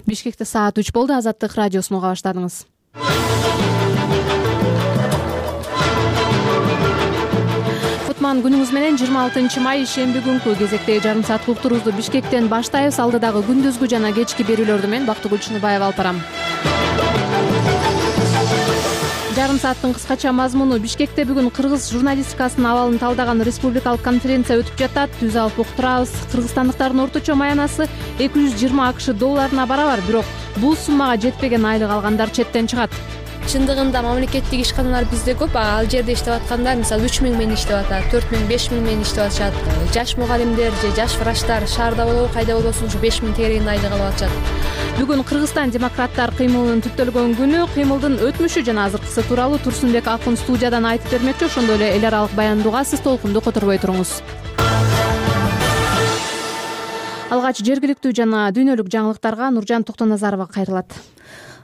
Бишкекте саат 3 болду. Азаттык радиосун уга баштадыңыз. Кутман күнүңүз менен 26 май шемби күнкү кезектеги жарым саат уктурубузду Бишкектен баштайбыз. Алдыдагы күндүзгү жана кечки берүүлөрдү мен Бактыгүл Чыныбаева алып барам. Жарым сааттын кыскача мазмуну: Бишкекте бүгүн кыргыз журналистикасынын абалын талдаган республикалык конференция өтүп жатат. Түз алып уктурабыз. Кыргызстандыктардын орточо маянасы $220 акш барабар, бирок бул суммага жетпеген айлык алгандар четтен чыгат. Чындыгында мамлекеттик ишканалар бизде көп. Ал жерде иштеп аткандар мисалы 3000 менен иштеп атат, 4000, 5000 менен иштеп атышат. Жаш мугалимдер же жаш врачтар шаарда болобу, кайда болбосун ушу 5000 тегерегинде айлык алып атышат. Бүгүн Кыргызстан демократтар кыймылынын түптөлгөн күнү. Кыймылдын өтмүшү жана азыркысы тууралуу Турсунбек Акын студиядан айтып бермекчи. Ошондой эле эл аралык баяндууга сиз толкунду которбой туруңуз. Алгач жергиликтүү жана дүйнөлүк жаңылыктарга Нуржан Токтоназарова кайрылат.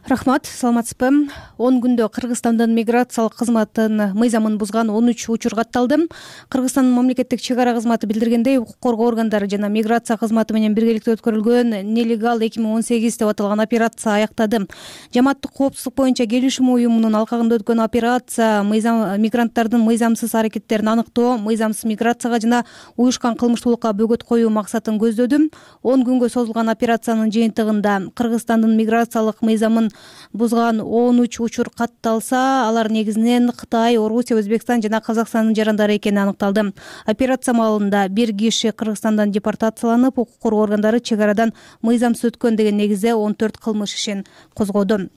Рахмат, саламатсызбы? 10 күндө Кыргызстандын миграциялык кызматынын мыйзамын бузган 13 учур катталды. Кыргызстандын мамлекеттик чек ара кызматы билдиргендей, укук коргоо органдары жана миграция кызматы менен биргеликте өткөрүлгөн Нелегал 2018 деп аталган операция аяктады. Жамааттык коопсуздук боюнча келишим уюмунун алкагында өткөн операция мигранттардын мыйзамсыз аракеттерин аныктоо, мыйзамсыз миграцияга жана уюшкан кылмыштуулукка бөгөт коюу максатын көздөдү. 10 күнгө созулган операциянын жыйынтыгында Кыргызстандын миграциялык мыйзамын бузган 13 учур катталса, алар негизинен Кытай, Орусия, Өзбекстан жана Казакстандын жарандары экени аныкталды. Операция маалында бир киши Кыргызстандан депортацияланып, укук коргоо органдары чек арадан мыйзамсыз өткөн деген негизде 14 кылмыш ишин козгоду.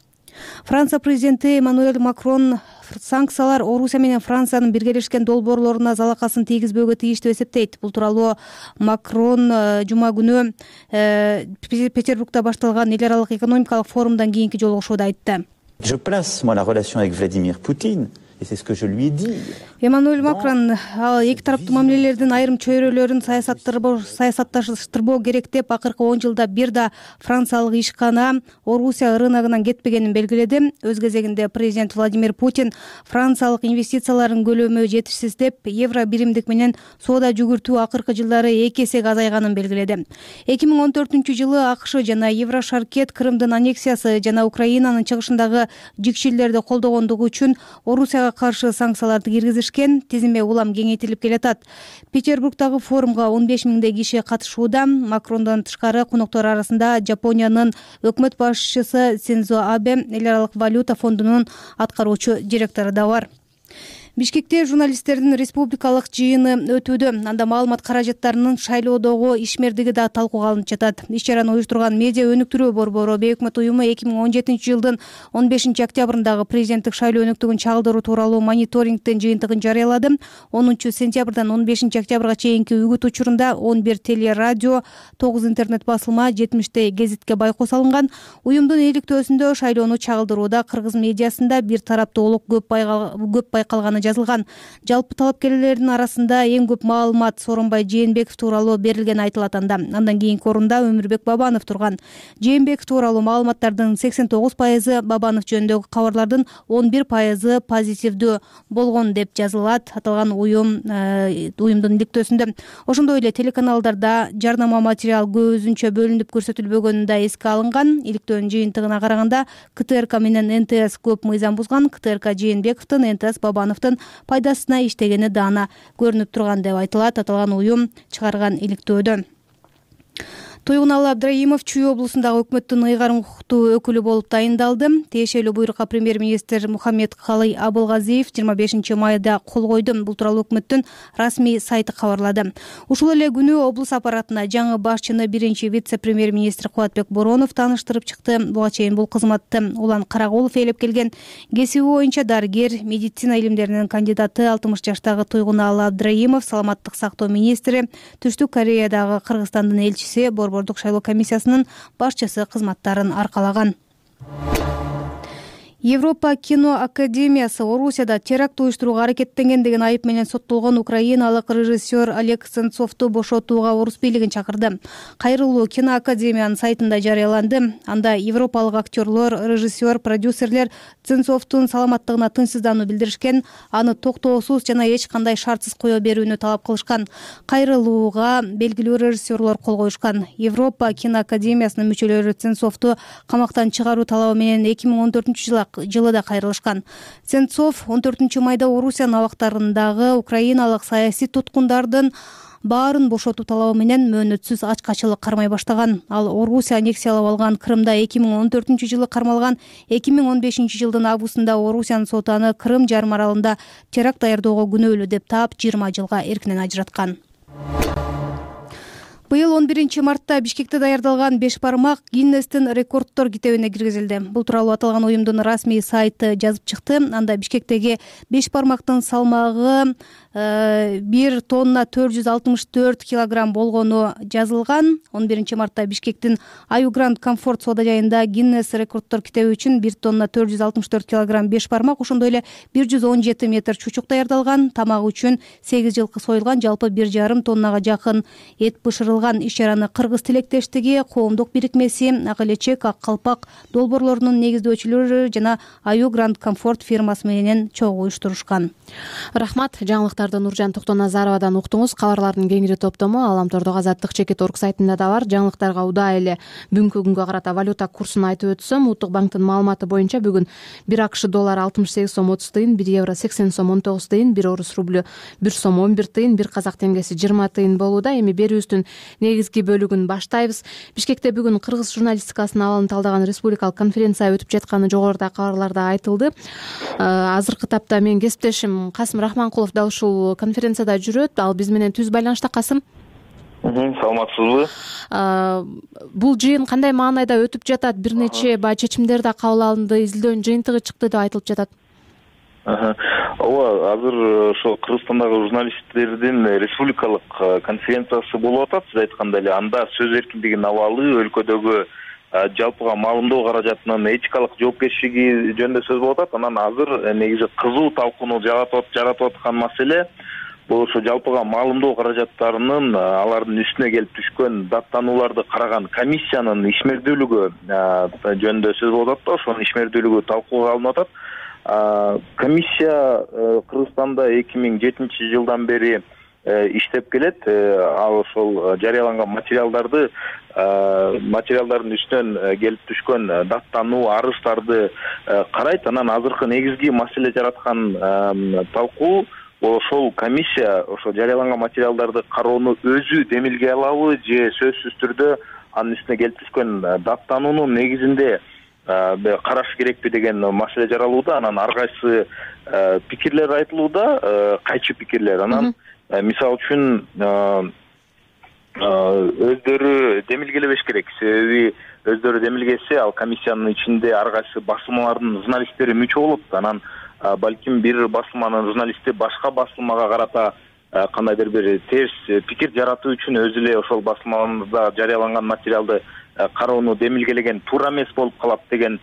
Франция президенти Эммануэль Макрон санкциялар Орусия менен Франциянын биргелешкен долбоорлоруна залакасын тийгизбөөгө тийиш деп эсептейт. Бул тууралуу Макрон жума күнү Петербургда башталган эл аралык экономикалык форумдан кийинки жолугушууда айтты. Je place moi la relation avec Vladimir Poutine. Et c'est ce que je lui ai dit. Эммануэль Макрон эки тараптуу мамилелердин айрым чөйрөлөрүн саясатташтырбоо керек деп акыркы 10 жылда бир да франциялык ишкана Орусия рыногунан кетпегенин белгиледи. Өз кезегинде президент Владимир Путин франциялык инвестициялардын көлөмү жетишсиз деп, евро биримдик менен соода жүгүртүү акыркы жылдары 2 эсеге азайганын белгиледи. 2014-жылы АКШ жана Еврошаркет Крымдын аннексиясы жана Украинанын чыгышындагы жикшилерди колдогондугу үчүн Орусияга каршы санкцияларды киргизишкен. Тизме улам кеңейтилип келатат. Петербургдагы форумга 15 миңдей киши катышууда. Макрондон тышкары коноктор арасында Жапониянын өкмөт башчысы Синдзо Абе, эл аралык валюта фондунун аткаруучу директору да бар. Бишкекте журналисттердин республикалык жыйыны өтүүдө. Анда маалымат каражаттарынын шайлоодогу ишмердиги да талкууга алынып жатат. Иш-чараны уюштурган медиа өнүктүрүү борбору Бейөкмөт уюму 2017 жылдын 15 октябрындагы президенттик шайлоо өнүктүгүн чагылдыруу тууралуу мониторингдин жыйынтыгын жарыялады. 10 сентябрдан 15 октябрга чейинки үгүт учурунда 11 телерадио, 9 интернет басылма, 70 гезитке байкоо салынган. Уюмдун иликтөөсүндө шайлоону чагылдырууда кыргыз медиасында бир тараптуулук көп байкалганы жазылган. Жалпы талапкерлердин арасында эң көп маалымат Сооронбай Жээнбеков тууралуу берилгени айтылат. Андан кийинки орунда Өмүрбек Бабанов турган. Жээнбеков тууралуу маалыматтардын 89%, Бабанов жөнүндөгү кабарлардын 11% позитивдүү болгон деп жазылат аталган уюмдун иликтөөсүндө. Ошондой эле телеканалдарда жарнама материал көзүнчө бөлүнүп көрсөтүлбөгөнү да эске алынган. Иликтөөнүн жыйынтыгына караганда КТРК менен НТС көп мыйзам бузган. КТРК Жээнбековдун, НТС Бабановдун пайдасына иштегени даана көрүнүп турган деп айтылат аталган уюм чыгарган иликтөөдө. Туйгуналы Абдрайымов Чүй облусундагы өкмөттүн ыйгарым укуктуу өкүлү болуп тайындалды. Тиешелүү буйрукка премьер-министр Мухаммед Калый Абылгазиев 25 майда кол койду. Бул тууралуу өкмөттүн расмий сайты кабарлады. Ушул эле күнү облус аппаратына жаңы башчыны биринчи вице-премьер-министр Кубатбек Боронов тааныштырып чыкты. Буга чейин бул кызматты Улан Карагулов ээлеп келген. Кесиби боюнча дарыгер, медицина илимдеринин кандидаты 60 жаштагы Туйгуналы Абдрайымов саламаттык сактоо министри, Түштүк Кореядагы Кыргызстандын элчиси, борбордук шайлоо комиссиясынын башчысы кызматтарын аркалаган. Европа кино академиясы Орусияда теракт уюштурууга аракеттенген деген айып менен соттолгон украиналык режиссер Олег Сенцовду бошотууга орус бийлигин чакырды. Кайрылуу кино академиянын сайтында жарыяланды. Анда европалык актерлор, режиссер, продюсерлер Сенцовдун саламаттыгына тынчсыздануу билдиришкен, аны токтоосуз жана эч кандай шартсыз кое берүүнү талап кылышкан. Кайрылууга белгилүү режиссерлор кол коюшкан. Европа кино академиясынын мүчөлөрү Сенцовду камактан чыгаруу талабы менен 2014-жылы да кайрылышкан. Сенцов 14-майда Орусиянын абактарындагы украиналык саясий туткундардын баарын бошотуу талабы менен мөөнөтсүз ачкачылык кармай баштаган. Ал Орусия аннексиялап алган Крымда 2014-жылы кармалган, 2015-жылдын августунда Орусиянын соту аны Крым жарым аралында теракт даярдоого күнөөлүү деп таап 20 жылга эркинен ажыраткан. Быйыл 11-мартта Бишкекте даярдалган беш бармак Гиннестин рекорддор китебине киргизилди. Бул тууралуу аталган уюмдун расмий сайты жазып чыкты. Анда Бишкектеги беш бармактын салмагы 1 тонна 464 килограмм болгону жазылган. 11-мартта Бишкектин Аю Гранд Комфорт соода жайында Гиннес рекорддор китеби үчүн 1 тонна 464 килограмм беш бармак, ошондой эле 117 метр чучук даярдалган. Тамагы үчүн 8 жылкы союлган, жалпы 1,5 тоннага жакын эт бышырылган. Иш-чараны Кыргыз тилектештиги, коомдук бирикмеси, Ак элечек, Ак калпак долбоорлорунун негиздөөчүлөрү жана Аю Гранд Комфорт фирмасы менен чогуу уюштурушкан. Рахмат. Жаңылыктарды Нуржан Токтоназаровадан уктуңуз. Кабарлардын кеңири топтому Аламтордогу Азаттык чекит.орг сайтында да бар. Жаңылыктарга удаа эле бүгүнкү күнгө карата валюта курсун айтып өтсөм, Улуттук банктын маалыматы боюнча бүгүн 1 АКШ доллары 68 сом 30 тыйын, 1 евро 80 сом 19 тыйын, 1 орус рублю 1 сом 11 тыйын, 1 казак теңгеси 20 тыйын болууда. Эми берүүбүздүн негизги бөлүгүн баштайбыз. Бишкекте бүгүн кыргыз журналистикасынын абалын талдаган республикалык конференция өтүп жатканы жогоруда кабарларда айтылды. Азыркы тапта менин кесиптешим Касым Рахманкулов да ушул конференцияда жүрөт. Ал биз менен түз байланышта. Касым, саламатсызбы? Бул жыйын кандай маанайда өтүп жатат? Бир нече чечимдер да кабыл алынды, изилдөөнүн жыйынтыгы чыкты деп айтылып жатат. Ооба, азыр ошо Кыргызстандагы журналисттердин республикалык конференциясы болуп атат. Сиз айткандай эле, анда сөз эркиндигинин абалы, өлкөдөгү жалпыга маалымдоо каражатынын этикалык жоопкерчилиги жөнүндө сөз болуп атат. Анан азыр негизи кызуу талкууну жаратып аткан маселе бул ошо жалпыга маалымдоо каражаттарынын алардын үстүнө келип түшкөн даттанууларды караган комиссиянын ишмердүүлүгү жөнүндө сөз болуп атат да, ошонун ишмердүүлүгү талкууга алынып атат. Комиссия Кыргызстанда 2007-жылдан бери иштеп келет. Ал ошол жарыяланган материалдардын үстүнөн келип түшкөн даттануу, арыздарды карайт. Анан азыркы негизги маселе жараткан талкуу ошол комиссия ошо жарыяланган материалдарды кароону өзү демилге алабы же сөзсүз түрдө анын үстүнө келип түшкөн даттануунун негизинде караш керекпи деген маселе жаралууда. Анан ар кайсы пикирлер айтылууда, кайчы пикирлер. Анан мисалы үчүн өздөрү демилгелебеш керек. Себеби өздөрү демилгесе, ал комиссиянын ичинде ар кайсы басылмалардын журналисттери мүчө болот. Анан балким бир басылманын журналисти башка басылмага карата кандайдыр бир терс пикир жаратуу үчүн өзү эле ошол басылмада жарыяланган материалды кароону демилгелеген туура эмес болуп калат деген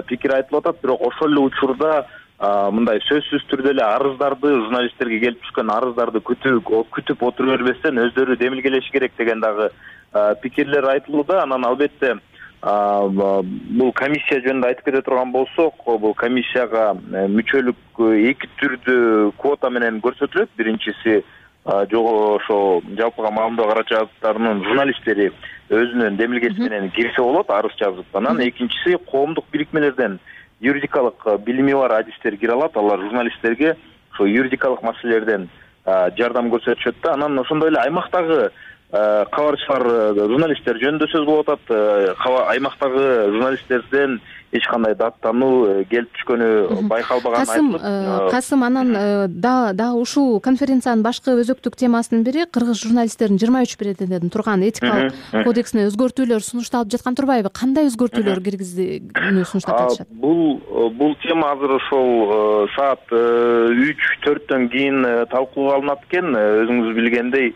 пикир айтылып атат. Бирок ошол эле учурда мындай сөзсүз түрдө эле арыздарды, журналисттерге келип түшкөн арыздарды күтүп отура бербестен өздөрү демилгелеши керек деген дагы пикирлер айтылууда. Анан албетте бул комиссия жөнүндө айтып кете турган болсок, бул комиссияга мүчөлүк эки түрдүү квота менен көрсөтүлөт. Биринчиси ошо жалпыга маалымдоо каражаттарынын журналисттери өзүнүн демилгеси менен кирсе болот, арыз жазып. Анан экинчиси коомдук бирикмелерден юридикалык билими бар адистер кире алат. Алар журналисттерге ошо юридикалык маселелерден жардам көрсөтүшөт да. Анан ошондой эле аймактагы кабарчылар, журналисттер жөнүндө сөз болуп атат. Аймактагы журналисттерден эч кандай даттануу келип түшкөнү байкалбаганын айтылып. Касым, анан дагы ушул конференциянын башкы өзөктүк темасынын бири кыргыз журналисттердин 23 бирден турган этикалык кодексине өзгөртүүлөр сунушталып жаткан турбайбы? Кандай өзгөртүүлөр киргизүүнү сунуштап жатышат? Бул тема азыр ошол саат 3-4төн кийин талкууга алынат экен. Өзүңүз билгендей,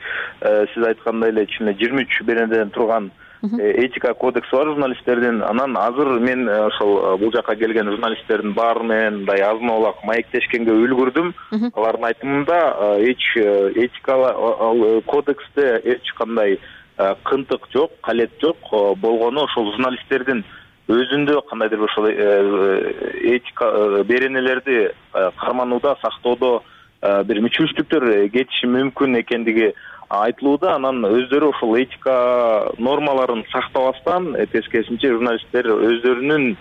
сиз айткандай эле ичинде 23 бирден турган этика кодекси бар журналисттердин. Анан азыр мен ошол бул жака келген журналисттердин баары менен мындай азын аулак маектешкенге үлгүрдүм. Алардын айтымында этика кодексте эч кандай кынтык жок, калет жок. Болгону ошол журналисттердин өзүндө кандайдыр бир ошол этика беренелерди карманууда, сактоодо бир мүчүлүштүктөр кетиши мүмкүн экендиги айтылууда. Анан өздөрү ошол этика нормаларын сактабастан тескерисинче журналисттер өздөрүнүн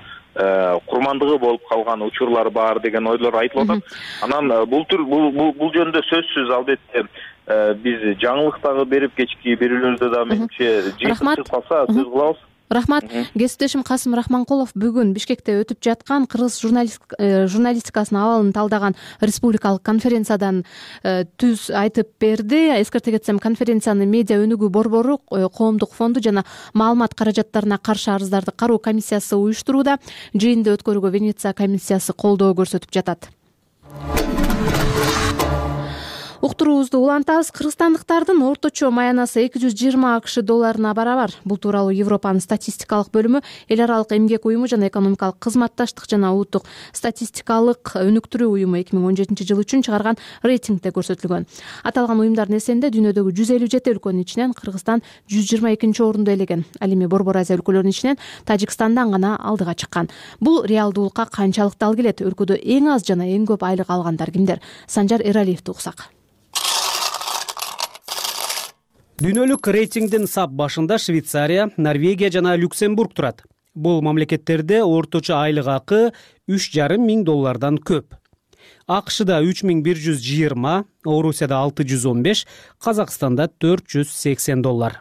курмандыгы болуп калган учурлар бар деген ойлор айтылып атат. Анан бул жөнүндө сөзсүз албетте биз жаңылык дагы берип, кечки берүүлөрдө да менимче жыйынтык калса сөз кылабыз. Рахмат. Кесиптешим Касым Рахманкулов бүгүн Бишкекте өтүп жаткан кыргыз журналистикасынын абалын талдаган республикалык конференциядан түз айтып берди. Эскерте кетсем, конференцияны Медиа өнүгүү борбору, Коомдук фонду жана маалымат каражаттарына каршы арыздарды кароо комиссиясы уюштурууда. Жыйынды өткөрүүгө Венеция комиссиясы колдоо көрсөтүп жатат. Уктуруубузду улантабыз. Кыргызстандыктардын орточо маянасы $220 барабар. Бул тууралуу Европанын статистикалык бөлүмү, эл аралык эмгек уюму жана экономикалык кызматташтык жана улуттук статистикалык өнүктүрүү уюму 2017 жыл үчүн чыгарган рейтингде көрсөтүлгөн. Аталган уюмдардын эсебинде дүйнөдөгү 157 өлкөнүн ичинен Кыргызстан 122-орунду элеген. Ал эми Борбор Азия өлкөлөрүнүн ичинен Тажикстандан гана алдыга чыккан. Бул реалдуулукка канчалык дал келет? Өлкөдө эң аз жана эң көп айлык алгандар кимдер? Санжар Эралиевди уксак. Дүйнөлүк рейтингдин сап башында Швейцария, Норвегия жана Люксембург турат. Бул мамлекеттерде орточо айлык акы $3,500 көп. АКШда $3,120, Орусияда $615, Казакстанда $480.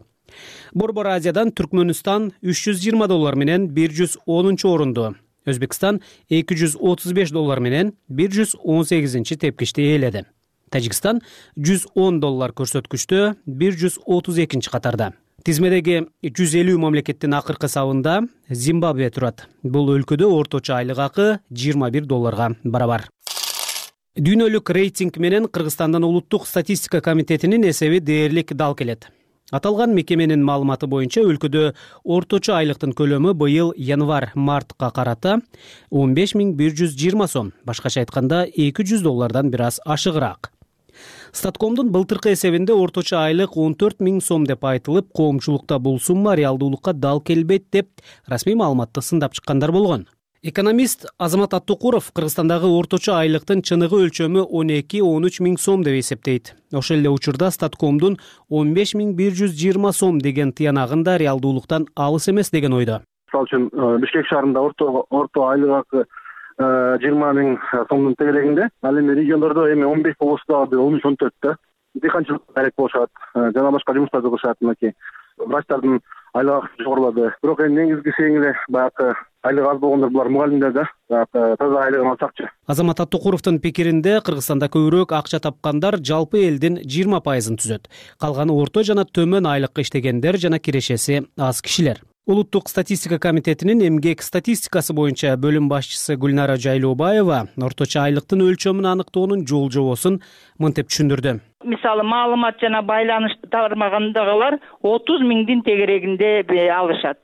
Борбор Азиядан Түркмөнстан $320 менен 110-орунду, Өзбекстан $235 менен 118-тепкичти ээледи. Тажикстан $110 көрсөткүчтө 132 катарда. Тизмедеги 150 мамлекеттин акыркы сабында Зимбабве турат. Бул өлкөдө орточо айлык акы $21 барабар. Дүйнөлүк рейтинг менен Кыргызстандын улуттук статистика комитетинин эсеби дээрлик дал келет. Аталган мекеменин маалыматы боюнча өлкөдө орточо айлыктын көлөмү быйыл январь-мартка карата 15,120 сом, башкача айтканда $200 бир аз ашыгыраак. Статкомдун былтыркы эсебинде орточо айлык 14,000 сом деп айтылып, коомчулукта бул сумма реалдуулукка дал келбейт деп расмий маалыматты сындап чыккандар болгон. Экономист Азамат Аттукуров Кыргызстандагы орточо айлыктын чыныгы өлчөмү 12-13 миң сом деп эсептейт. Ошол эле учурда Статкомдун 15,120 сом деген тыянагында реалдуулуктан алыс эмес деген ойдо. Мисалы үчүн Бишкек шаарында орто айлык акы 20 миң сомдун тегерегинде, ал эми региондордо эми 15 болсо да 13-14 да. Дыйканчылык керек болушат, жана башка жумуштарды кылышат, мынакей врачтардын айлык акысы жогорулады. Бирок эми негизгиси эң баягы айлык аз болгондор булар мугалимдер да, таза айлыгын алсакчы. Азамат Аттукуровдун пикиринде Кыргызстанда көбүрөөк акча тапкандар жалпы элдин 20% түзөт. Калганы орто жана төмөн айлыкка иштегендер жана кирешеси аз кишилер. Улуттук статистика комитетинин эмгек статистикасы боюнча бөлүм башчысы Гүлнара Жайлообаева орточо айлыктын өлчөмүн аныктоонун жол-жобосун мынтип түшүндүрдү. Мисалы, маалымат жана байланыш тармагындагылар 30 миңдин тегерегинде алышат.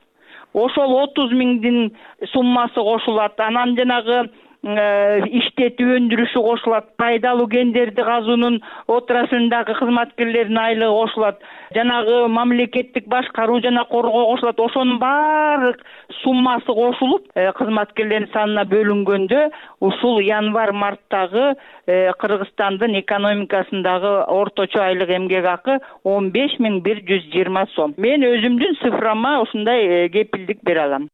Ошол 30 миңдин суммасы кошулат. Анан жанагы иштетүү өндүрүшү кошулат. Пайдалуу кендерди казуунун отраслындагы кызматкерлердин айлыгы кошулат. Жанагы мамлекеттик башкаруу жана коргоо кошулат. Ошонун баардык суммасы кошулуп, кызматкерлердин санына бөлүнгөндө ушул январь-марттагы Кыргызстандын экономикасындагы орточо айлык эмгек акы 15,120 сом. Мен өзүмдүн цифрама ушундай кепилдик бере алам.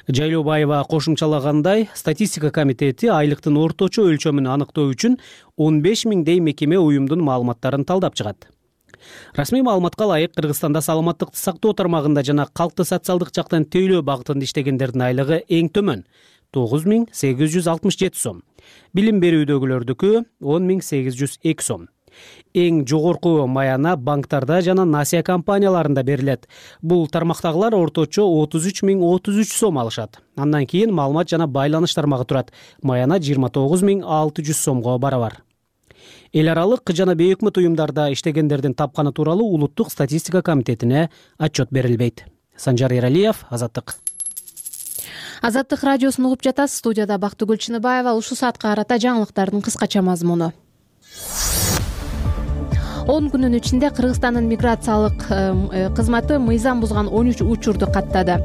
Жайлообаева кошумчалагандай, статистика комитети айлыктын орточо өлчөмүн аныктоо үчүн 15 миңдей мекеме уюмдун маалыматтарын талдап чыгат. Расмий маалыматка ылайык Кыргызстанда саламаттыкты сактоо тармагында жана калкты социалдык жактан тейлөө багытында иштегендердин айлыгы эң төмөн 9,867 сом. Билим берүүдөгүлөрдүкү 10,802 сом. Эң жогорку маяна банктарда жана насия компанияларында берилет. Бул тармактагылар орточо 33,033 сом алышат. Андан кийин маалымат жана байланыш тармагы турат. Маяна 29,600 сомго барабар. Эл аралык жана бейөкмөт уюмдарда иштегендердин тапканы тууралуу улуттук статистика комитетине отчет берилбейт. Санжар Эралиев, Азаттык. Азаттык радиосун угуп жатасыз. Студияда Бактыгүл Чыныбаева. Ушул саатка карата жаңылыктардын кыскача мазмуну. 10 күнүн ичинде Кыргызстандын миграциялык кызматы мыйзам бузган 13 учурду каттады.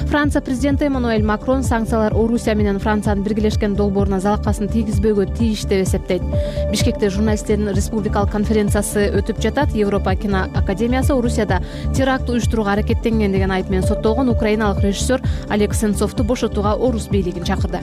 Франция президенти Эммануэль Макрон санкциялар Орусия менен Франциянын биргелешкен долбооруна залакасын тийгизбөөгө тийиш деп эсептейт. Бишкекте журналисттердин республикалык конференциясы өтүп жатат. Европа кино академиясы Орусияда теракт уюштурууга аракеттенген деген айып менен соттолгон украиналык режиссер Олег Сенцовду бошотууга орус бийлигин чакырды.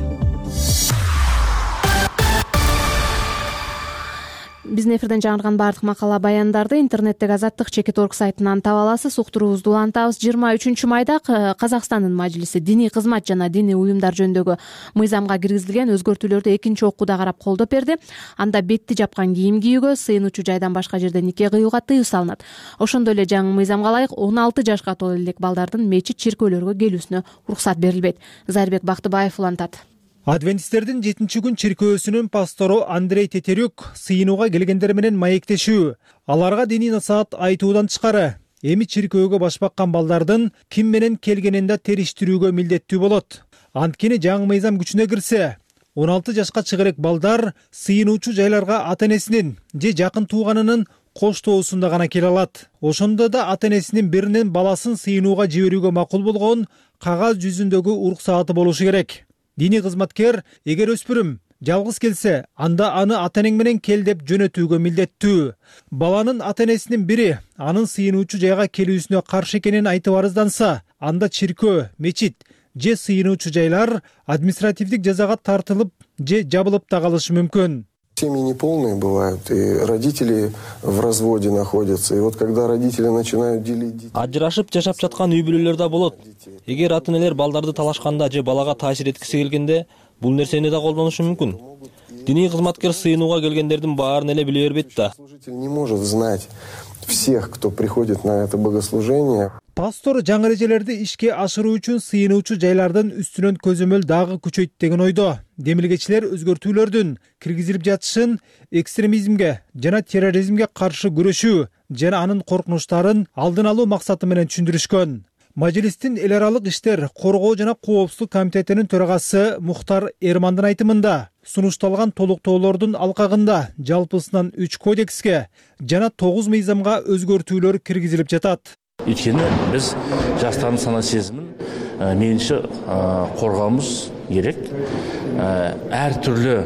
Биздин эфирден жаңырган баардык макала баяндарды интернеттеги Азаттык Чекит.орг сайтынан таба аласыз. Уктуруубузду улантабыз. 23 майда Казакстандын мажлиси диний кызмат жана диний уюмдар жөнүндөгү мыйзамга киргизилген өзгөртүүлөрдү экинчи окууда карап колдоп берди. Анда бетти жапкан кийим кийүүгө, сыйынуучу жайдан башка жерде нике кыюуга тыюу салынат. Ошондой эле жаңы мыйзамга ылайык 16 жашка толо элек балдардын мечит чиркөөлөргө келүүсүнө уруксат берилбейт. Зайырбек Бактыбаев улантат. Адвентисттердин 7-күн чиркөөсүнүн пастору Андрей Тетерюк сыйынууга келгендер менен маектешүү, аларга диний насаат айтуудан тышкары эми чиркөөгө баш баккан балдардын ким менен келгенин да териштирүүгө милдеттүү болот. Анткени жаңы мыйзам күчүнө кирсе, 16 жашка чыга элек балдар сыйынуучу жайларга ата-энесинин же жакын тууганынын коштоосунда гана келе алат. Ошондо да ата-энесинин биринен баласын сыйынууга жиберүүгө макул болгон кагаз жүзүндөгү уруксааты болушу керек. Диний кызматкер эгер өспүрүм жалгыз келсе, анда аны ата-энең менен кел деп жөнөтүүгө милдеттүү. Баланын ата-энесинин бири анын сыйынуучу жайга келүүсүнө каршы экенин айтып арызданса, анда чиркөө, мечит же сыйынуучу жайлар административдик жазага тартылып же жабылып да калышы мүмкүн. Семьи неполные бывают, и родители в разводе находятся. И вот когда родители начинают делить детей... Ажырашып жашап жаткан үй бүлөлөр да болот. Эгер ата-энелер балдарды талашканда же балага таасир эткиси келгенде, бул нерсени да колдонушу мүмкүн. Диний кызматкер сыйынууга келгендердин баарын эле биле бербейт да. Служитель не может знать всех, кто приходит на это богослужение. Пастор жаңы эрежелерди ишке ашыруу үчүн сыйынуучу жайлардын үстүнөн көзөмөл дагы күчөйт деген ойдо. Демилгечилер өзгөртүүлөрдүн киргизилип жатышын экстремизмге жана терроризмге каршы күрөшүү жана анын коркунучтарын алдын алуу максаты менен түшүндүрүшкөн. Мажлистин эл аралык иштер коргоо жана коопсуздук комитетинин төрагасы Мухтар Эрмандын айтымында, сунушталган толуктоолордун алкагында жалпысынан 3 кодекске жана 9 мыйзамга өзгөртүүлөр киргизилип жатат. Ичкени биз жаштардын сана сезимин мейлинче коргообуз керек. Ар түрлүү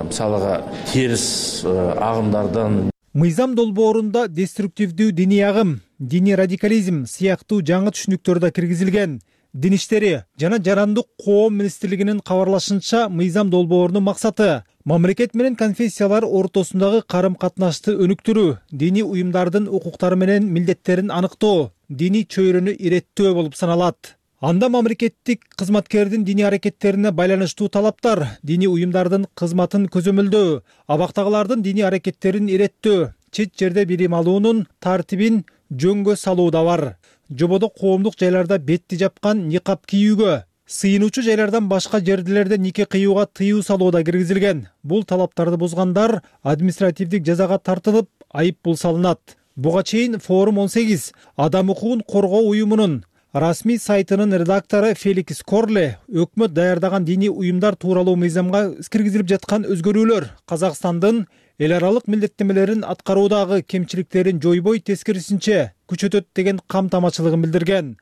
мисалга терс агымдардан мыйзам долбоорунда деструктивдүү диний агым, диний радикализм сыяктуу жаңы түшүнүктөр да киргизилген. Дин иштери жана жарандык коом министрлигинин кабарлашынча, мыйзам долбоорунун максаты мамлекет менен конфессиялар ортосундагы карым-катнашты өнүктүрүү, диний уюмдардын укуктары менен милдеттерин аныктоо, диний чөйрөнү иреттөө болуп саналат. Анда мамлекеттик кызматкердин диний аракеттерине байланыштуу талаптар, диний уюмдардын кызматын көзөмөлдөө, абактагылардын диний аракеттерин иреттөө, чет жерде билим алуунун тартибин жөнгө салуу да бар. Жободо коомдук жайларда бетти жапкан никап кийүүгө, сыйынуучу жайлардан башка жердилерде нике кыюуга тыюу салуу да киргизилген. Бул талаптарды бузгандар административдик жазага тартылып, айып пул салынат. Буга чейин Форум 18 адам укугун коргоо уюмунун расмий сайтынын редактору Феликс Корле өкмөт даярдаган диний уюмдар тууралуу мыйзамга киргизилип жаткан өзгөрүүлөр Казакстандын эл аралык милдеттенмелерин аткаруудагы кемчиликтерин жойбой, тескерисинче күчөтөт деген камтамачылыгын билдирген.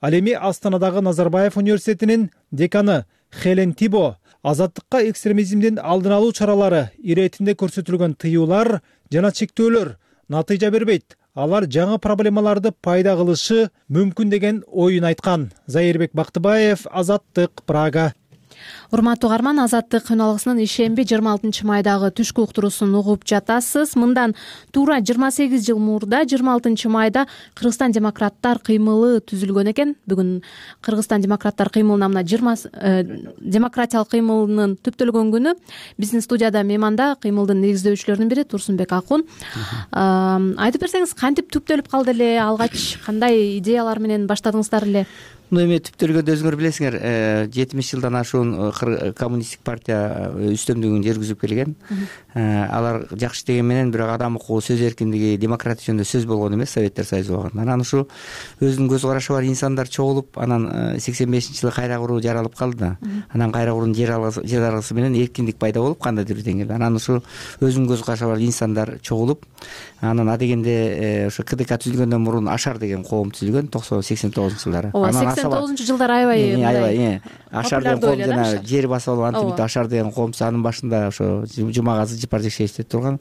Ал эми Астанадагы Назарбаев университетинин деканы Хелен Тибо азаттыкка экстремизмдин алдын алуу чаралары иретинде көрсөтүлгөн тыюулар жана чектөөлөр натыйжа бербейт. Алар жаңы проблемаларды пайда кылышы мүмкүн деген оюн айткан. Зайырбек Бактыбаев, Азаттык, Прага. Урматтуу угарман, Азаттык күнүалгысынын ишемби 26 майдагы түшкү уктуруусун угуп жатасыз. Мындан туура 28 жыл мурда 26 майда Кыргызстан демократтар кыймылы түзүлгөн экен. Бүгүн Кыргызстан демократтар кыймылына мына 20 демократиялык кыймылынын түптөлгөн күнү. Биздин студияда мейманда кыймылдын негиздөөчүлөрүнүн бири Турсунбек Акун. Айтып берсеңиз, кантип түптөлүп калды эле, алгач кандай идеялар менен баштадыңыздар эле? Эми түптөлгөндө өзүңөр билесиңер, 70 жылдан ашуун мурун коммунисттик партия үстөмдүгүн жүргүзүп келген. Алар жакшы деген менен бирок адам укугу, сөз эркиндиги, демократия жөнүндө сөз болгон эмес Советтер Союзу убагында. Анан ушу өзүнүн көз карашы бар инсандар чогулуп, анан 85-жылы кайра куруу жаралып калды да. Анан кайра куруунун жер алгысы менен эркиндик пайда болуп кандайдыр бир деңгээлде. Анан ушу өзүнүн көз карашы бар инсандар чогулуп, анан адегенде ошо КДК түзүлгөндөн мурун Ашар деген коом түзүлгөн 89-жылдары. Ооба, 89-жылдары аябай Ашар деген коом жана жер басып алып антип Ашар деген коом, анын башында ошо Жумагазы Жапаржекшеевич турган.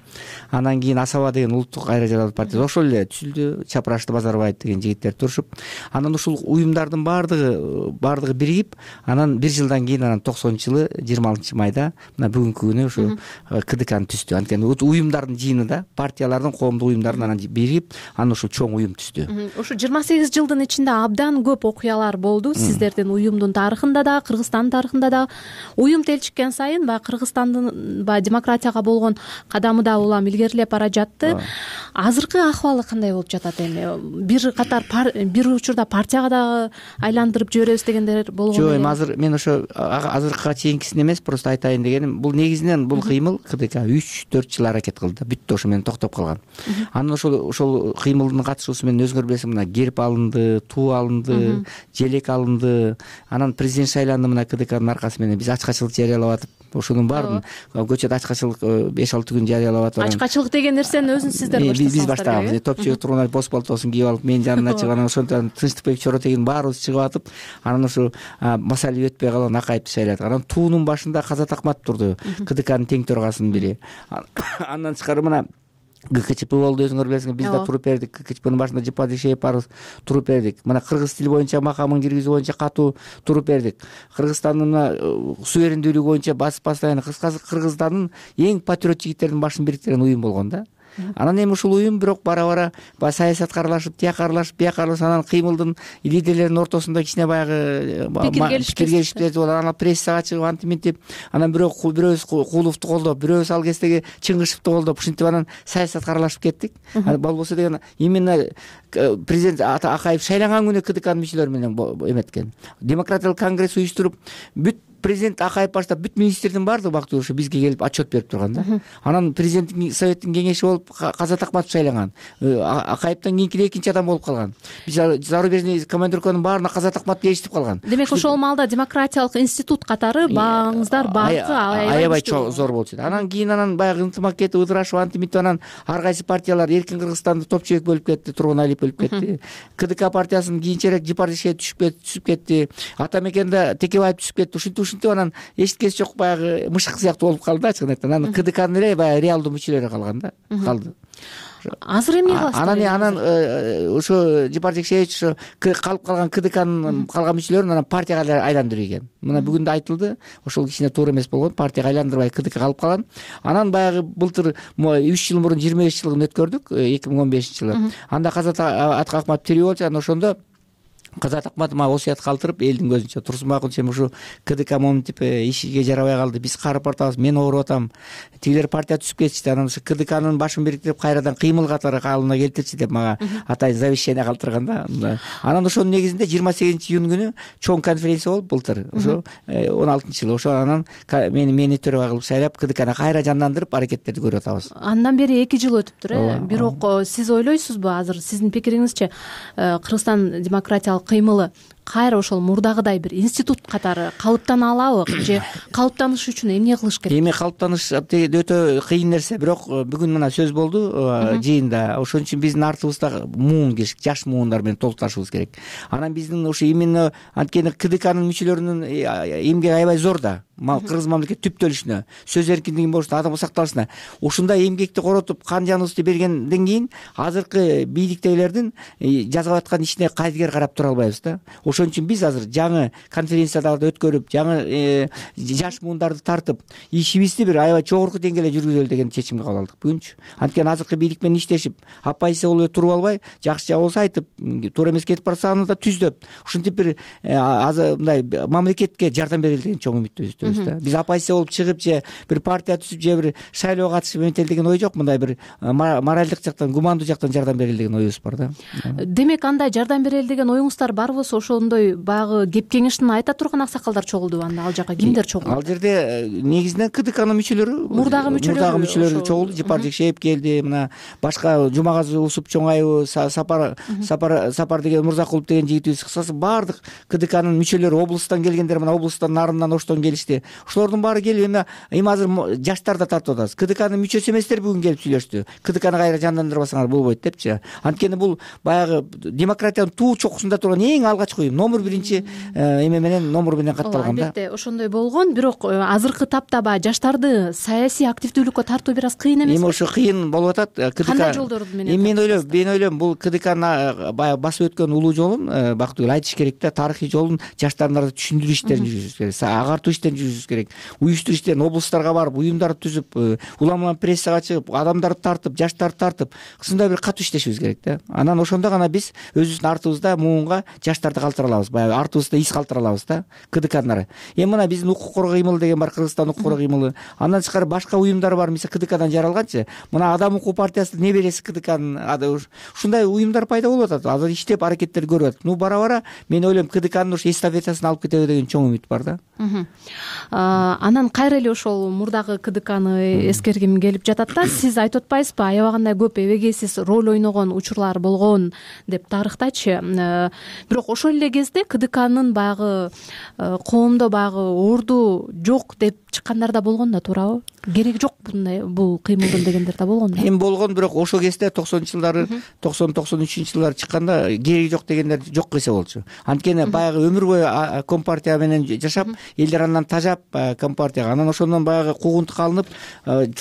Анан кийин Асаба деген улуттук кайра жаралуу партия ошол эле түзүлдү. Чапрашты Базарбаев деген жигиттер турушуп, анан ушул уюмдардын баардыгы биригип, анан бир жылдан кийин анан 90-жылы 26-майда мына бүгүнкү күнү ушу КДКны түздү. Анткени уюмдардын жыйыны да, партиялардын, коомдук уюмдардын анан биригип, анан ушул чоң уюм түздү. Ушу 28 жылдын ичинде абдан көп окуялар болду. Сиздердин уюмдун тарыхында да, Кыргызстандын тарыхында да. Уюм телчиккен сайын баягы Кыргызстандын демократияга болгон кадамы да улам илгерилеп бара жатты. Азыркы акыбалы кандай болуп жатат эми? Бир катар бир учурда партияга да айландырып жиберебиз дегендер болгон. Жок, эми азыр мен ошо азыркыга чейинкисин эмес, просто айтайын дегеним, бул негизинен бул кыймыл КДК 3-4 жыл аракет кылды, бүттү, ошо менен токтоп калган. Анан ошол кыймылдын катышуусу менен өзүңөр билесиң, мына герб алынды, туу алынды, желек алынды. Анан президент шайланды мына КДКнын аркасы менен. Биз ачкачылык жарыялап атып, ошонун баарын көчөдө ачкачылык 5-6 күн жарыялап атып. Ачкачылык деген нерсени өзүн сиздер баштасаңыздар. Биз баштаганбыз. Топчубек Тургунаев бос пальтосун кийип алып, менин жанымда чыгып, анан ошондон Тынчтыкбек Чоротегин баарыбыз чыгып атып, анан ошо Масалиев өтпөй калган Акаевди шайладык. Анан туунун башында Казат Акматов турду, КДКнын тең төрагасынын бири. Андан тышкары мына ГКЧП болду, өзүңөр билесиңер, биз да туруп бердик. ГКЧПнын башында Жапаржекшеев барыбыз туруп бердик. Мына кыргыз тили боюнча макамын киргизүү боюнча катуу туруп бердик. Кыргызстандын суверендүүлүгү боюнча постоянно Кыргызстандын эң патриот жигиттердин башын бириктирген уюм болгон да. Анан эми ушул уюм бирок бара-бара саясатка аралашып, тияка аралашып, бияка аралашып, анан кыймылдын лидерлеринин ортосунда кичине баягы пикир келишпештик болду. Анан прессага чыгып антип, анан бирөөбүз Кууловду колдоп, бирөөбүз ал кездеги Чыңгышевду колдоп, ушинтип анан саясатка аралашып кеттик. Болбосо деген именно президент Акаев шайланган күнү КДКнын мүчөлөрү менен эметкен. Демократиялык конгресс уюштуруп, бүт президент Акаев баштап бүт министрдин баардыгы бактылуу ушу бизге келип отчет берип турган да. Анан президенттин советтин кеңеши болуп Казат Акматов шайланган. Акаевден кийинки экинчи адам болуп калган. Биз зарубежный командировканын баарына Казат Акматов ээрчитип калган. Демек ошол маалда демократиялык институт катары бааңыздар баардыгы аябай зор болчу. Анан кийин баягы ынтымак кетип, ыдырашып антип анан ар кайсы партиялар эркин Кыргызстанды Топчубек бөлүп кетти, Тургуналиев бөлүп кетти. КДК партиясын кийинчерээк Жапаржекшеев түшүп кетти. Атамекенде Текебаев түшүп кетти. Ушинтип анан эчиткеси жок баягы мышык сыяктуу болуп калды да, чын айтканда. Анан КДКнын эле баягы реалдуу мүчөлөрү калган да, калды. Азыр эмне кыласыздар? Анан ошо Жапаржекшеевич ошо калып калган КДКнын калган мүчөлөрүн анан партияга айландыруу экен. Мына бүгүн да айтылды, ошол кичине туура эмес болгон, партияга айландырбай КДК калып калган. Анан баягы былтыр 3 жыл мурун 25 жылын өткөрдүк, 2015-жылы. Анда Казат Акматов тирүү болчу, анан ошондо Казат Акматов осуят калтырып, элдин көзүнчө Турсунбай Акунчем ушу КДК моминтип ишиге жарабай калды, биз карып атабыз, мен ооруп атам, тигилер партия түзүп кетишти, анан ушу КДКнын башын бириктирип кайрадан кыймыл катары калыбына келтирчи деп мага атайын завещание калтырган да. Анан ошонун негизинде 28-июнь күнү чоң конференция болуп былтыр, ошо 16-жылы, ошо анан мени төрага кылып шайлап КДКны кайра жандандырып аракеттерди көрүп атабыз. Андан бери 2 жыл өтүптүр, бирок сиз ойлойсузбу, азыр сиздин пикириңизче Кыргызстан демократиялык кыймылы кайра ошол мурдагыдай бир институт катары калыптана алабы же калыптаныш үчүн эмне кылыш керек? Эми калыптаныш өтө кыйын нерсе, бирок бүгүн мына сөз болду жыйында. Ошон үчүн биздин артыбызда муун кириш, жаш муундар менен толукташыбыз керек. Анан биздин ушу именно анткени КДКнын мүчөлөрүнүн эмгеги аябай зор да. Кыргыз мамлекети түптөлүшүнө, сөз эркиндигинин болушуна, адам сакталышына ушундай эмгекти коротуп, кан жаныбызды бергенден кийин азыркы бийликтегилердин жасап аткан ишине кайдыгер карап тура албайбыз да. Ошон үчүн биз азыр жаңы конференцияларды өткөрүп, жаңы жаш муундарды тартып, ишибизди бир аябай жогорку деңгээлде жүргүзөлү деген чечимге кабыл алдык бүгүнчү. Анткени азыркы бийлик менен иштешип, оппозиция болуп туруп албай, жакшы жагы болсо айтып, туура эмес кетип барса аны да түздөп, ушинтип бир мындай мамлекетке жардам берели деген чоң үмүттөбүз. Биз оппозиция болуп чыгып же бир партия түзүп же бир шайлоого катышып эметели деген ой жок, мындай бир моралдык жактан, гумандуу жактан жардам берели деген оюбуз бар да. Демек андай жардам берели деген оюңуздар бар болсо, ошол ошондой баягы кеп кеңешин айта турган аксакалдар чогулдубу анда ал жака кимдер чогулду? Ал жерде негизинен КДКнын мүчөлөрү, мурдагы мүчөлөрү чогулду. Жапар Жекшеев келди, мына башка Жумагазы Усуп Чоңаев, Сапар деген Мурзакулов деген жигитибиз, кыскасы баардык КДКнын мүчөлөрү, облусттан келгендер, мына облусттан нарынан Оштон келишти. Ошолордун баары келип эми азыр жаштар да тартып атабыз. КДКнын мүчөсү эместер бүгүн келип сүйлөштү. КДКны кайра жандандырбасаңар болбойт депчи. Анткени бул баягы демократиянын туу чокусунда турган эң алгачкы уюм, номер 1 эме менен, номер менен катталган да. Албетте ошондой болгон, бирок азыркы тапта баягы жаштарды саясий активдүүлүккө тартуу бир аз кыйын эмеспи? Эми ошо кыйын болуп атат. КДК кандай жолдор менен? Мен ойлойм, бул КДКнын баягы басып өткөн улуу жолун Бактыгүл айтыш керек да, тарыхый жолун жаштардын түшүндүрүү иштерин жүргүзүш керек, агартуу иштерин жүргүзүш керек. Уюштуруу иштерин облустарга барып, уюмдарды түзүп, улам прессага чыгып, адамдарды тартып, жаштарды тартып, ушундай бир катуу иштешибиз керек да. Анан ошондо гана биз өзүбүздүн артыбызда муунга жаштарды калтыра алабыз, баягы артыбызда из калтыра алабыз да, КДКнын. Эми мына биздин укук коргоо кыймылы деген бар, Кыргызстан укук коргоо кыймылы. Андан тышкары башка уюмдар бар, мисалы КДКдан жаралганчы. Мына Адам укугу партиясы небереси КДКнын, ушундай уюмдар пайда болуп атат. Азыр иштеп аракеттер көрүп атат. Бара-бара мен ойлойм КДКнын ушу эстафетасын алып кетеби деген чоң үмүт бар да. Анан кайра эле ошол мурдагы КДКны эскергим келип жатат да. Сиз айтып атпайсызбы, аябагандай көп эбегейсиз роль ойногон учурлар болгон деп тарыхтачы. Бирок ошол эле кезде КДКнын баягы коомдо баягы орду жок деп чыккандар да болгон да, туурабы? Кереги жок бул кыймылдын дегендер да болгон да. Эми болгон, бирок ошол кезде 90-жылдары, 90-93-жылдары чыкканда кереги жок дегендер жок десе болчу. Анткени баягы өмүр бою компартия менен жашап, элдер андан тажап компартияга, анан ошондон баягы куугунтукка алынып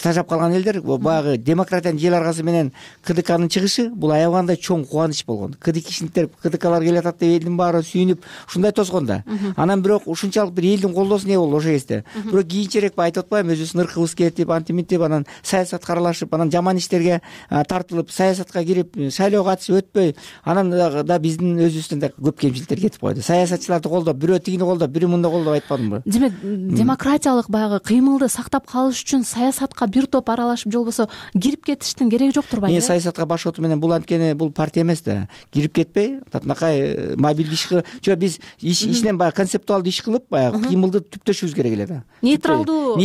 тажап калган элдер баягы демократиянын жел аргасы менен КДКнын чыгышы бул аябагандай чоң кубаныч болгон. КДКшниктер, КДКлар келип атат деп элдин баары сүйүнүп ушундай тосгон да. Анан бирок ушунчалык бир элдин колдоосу не болду ошол кезде. Бирок кийинчерээк айтып атпаймынбы, өзүбүздүн ыркыбыз кетип, антиминтип, анан саясатка аралашып, анан жаман иштерге тартылып, саясатка кирип, шайлоого катышып өтпөй, анан да биздин өзүбүздөн да көп кемчиликтер кетип койду. Саясатчыларды колдоп, бирөө тигини колдоп, бирөө мындай колдоп айтпадымбы? Демек, демократиялык баягы кыймылды сактап калыш үчүн саясатка бир топ аралашып, же болбосо кирип кетиштин кереги жок турбайбы? Мен саясатка башкоту менен бул анткени бул партия эмес да. Кирип кетпей, татынакай мобилдик иш кылып, жок биз ичинен баягы концептуалдуу иш кылып, баягы кыймылды түптөшүбүз керек эле да. Нейтралдуу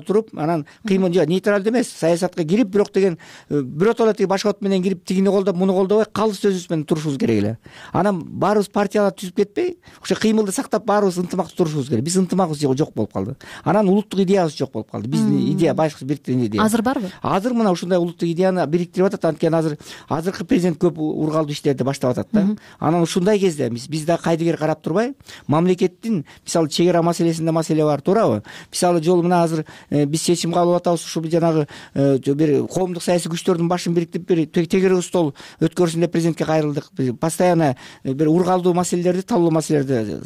туруп, анан кыймыл жок, нейтралдуу эмес, саясатка кирип, бирок деген биротоло тиги башкот менен кирип, тигини колдоп, муну колдобой, калыс өзүбүз менен турушубуз керек эле. Анан баарыбыз партиялар түзүп кетпей, ошо кыймылды сактап баарыбыз ынтымактуу турушубуз керек. Биз ынтымагыбыз жок болуп калды. Анан улуттук идеябыз жок болуп калды. Биздин идея башкы бириктирген идея. Азыр барбы? Азыр мына ушундай улуттук идеяны бириктирип атат, анткени азыркы президент көп ургалдуу иштерди баштап атат да. Анан ушундай кезде биз да кайдыгер карап турбай, мамлекеттин мисалы чек ара маселесинде маселе бар, туурабы? Мисалы жол мына азыр биз чечим кабыл алып атабыз, ушул жанагы бир коомдук саясий күчтөрдүн башын бириктирип, бир тегерек стол өткөрсүн деп президентке кайрылдык. Постоянно бир ургалдуу маселелерди, талкуулуу маселелерди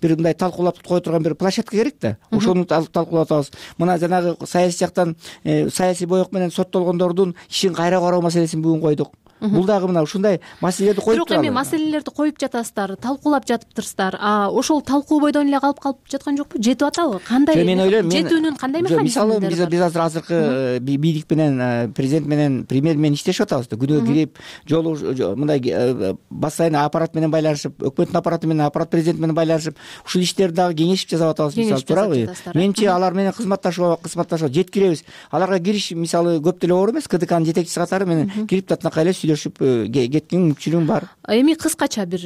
бир мындай талкуулап кое турган бир площадка керек да. Ошону талкуулап атабыз. Мына жанагы саясий жактан саясий боек менен соттолгондордун ишин кайра кароо маселесин бүгүн койдук. Бул дагы мына ушундай маселелерди коюп туралы. Бирок эми маселелерди коюп жатасыздар, талкуулап жатыптырсыздар. Ошол талкуу бойдон эле калып жаткан жокпу? Жетип атабы? Кандай? Мен ойлойм, жетүүнүн кандай механизмдери бар? Мисалы биз азыркы бийлик менен, президент менен, премьер менен иштешип атабыз да. Күнөө кирип, жолу мындай бассайын аппарат менен байланышып, өкмөттүн аппараты менен, аппарат президент менен байланышып, ушул иштерди дагы кеңешип жасап атабыз, мисалы, туурабы? Менимче алар менен кызматташып жеткиребиз. Аларга кириш мисалы көп деле оор эмес. КДКнын жетекчиси катары менен кирип татынакай эле сүйлөшүп кеткен мүмкүнчүлүгүм бар. Эми кыскача бир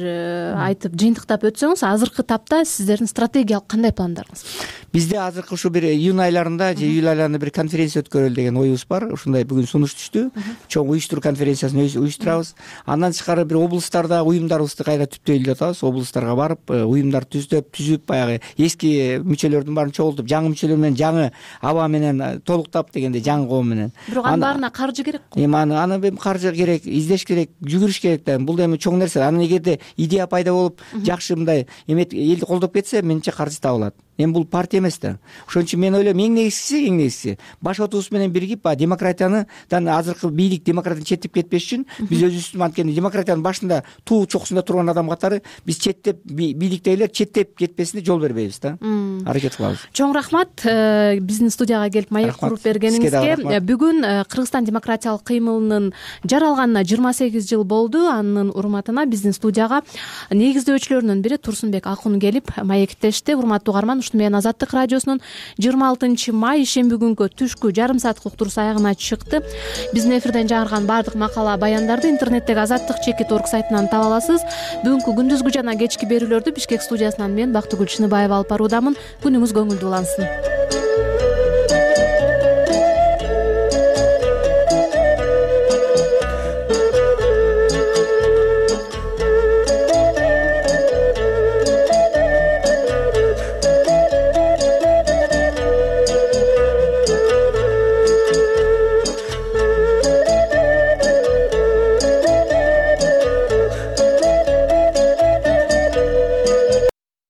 айтып жыйынтыктап өтсөңүз, азыркы тапта сиздердин стратегиялык кандай пландарыңыз? Бизде азыркы ушу бир июнь айларында же июль айларында бир конференция өткөрөлү деген оюбуз бар. Ушундай бүгүн сунуш түштү. Чоң уюштуруу конференциясын уюштурабыз. Андан тышкары бир облустарда уюмдарыбызды кайра түптөйлүп атабыз. Облустарга барып, уюмдар түзүп, баягы эски мүчөлөрдүн баарын чогултуп, жаңы мүчөлөр менен жаңы аба менен толуктап дегенде, жаңы коом менен. Бирок анын баарына каржы керек го. Эми аны каржы керек, издеш керек, жүгүрүш керек да. Бул эми чоң нерсе. Анан эгерде идея пайда болуп, жакшы мындай элди колдоп кетсе, менимче каржы табылат. эми бул партия эмес да. Ошон үчүн мен ойлойм эң негизгиси баш отуубуз менен биригип баягы демократиядан азыркы бийлик демократиядан четтеп кетпеш үчүн биз өзүбүздүн анткени демократиянын башында туу чокусунда турган адам катары биз четтеп бийликтегилер четтеп кетпесине жол бербейбиз да. Аракет кылабыз. Чоң рахмат биздин студияга келип маек куруп бергениңизге. Бүгүн Кыргызстан демократиялык кыймылынын жаралганына 28 жыл болду. Анын урматына биздин студияга негиздөөчүлөрүнүн бири Турсунбек Акун келип маектешти. Урматтуу угарман, ушуну менен Азаттык радиосунун 26 май шемби күнгү түшкү жарым сааттык уктуруусу аягына чыкты. Биздин эфирден жаңырган баардык макала баяндарды интернеттеги azattik.org сайтынан таба аласыз. Бүгүнкү күндүзгү жана кечки берүүлөрдү Бишкек студиясынан мен Бактыгүл Чыныбаева алып баруудамын. Күнүңүз көңүлдүү улансын.